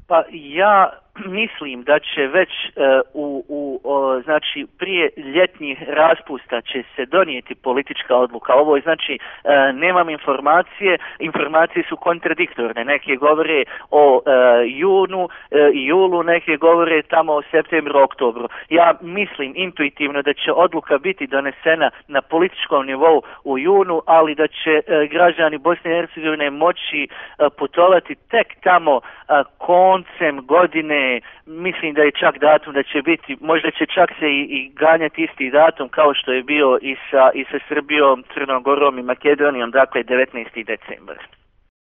Pa ja mislim da će već znači prije ljetnjih raspusta će se donijeti politička odluka. Ovo je znači nemam informacije su kontradiktorne. Neke govore o junu i julu, neke govore tamo o septembru, oktobru. Ja mislim intuitivno da će odluka biti donesena na političkom nivou u junu, ali da će građani Bosne i Hercegovine moći putovati tek tamo koncem godine. Mislim da je čak datum da će biti, možda će čak se i ganjati isti datum kao što je bio i sa Srbijom, Crnom Gorom i Makedonijom, dakle 19. decembar.